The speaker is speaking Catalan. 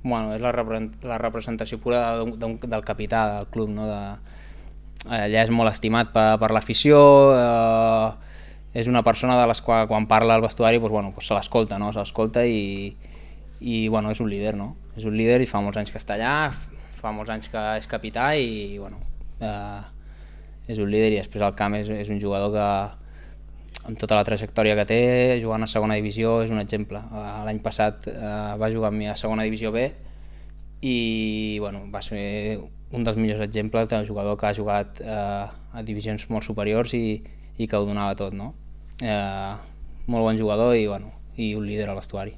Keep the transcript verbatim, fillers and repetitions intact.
Bueno, és la, repre- la representació pura d'un, d'un, del capità del club, no? De, allà és molt estimat per, per l'afició, eh, és una persona de les quals quan parla al vestuari doncs, bueno, doncs se l'escolta, no? Se l'escolta i, i bueno, és un líder, no? És un líder i fa molts anys que està allà, fa molts anys que és capità i bueno, eh, és un líder i després al camp és, és un jugador que amb tota la trajectòria que té, jugant a segona divisió és un exemple. L'any passat eh, va jugar amb mi a segona divisió B i bueno, va ser un dels millors exemples de jugador que ha jugat eh, a divisions molt superiors i, i que ho donava tot, no? Eh, molt bon jugador i, bueno, i un líder al vestuari.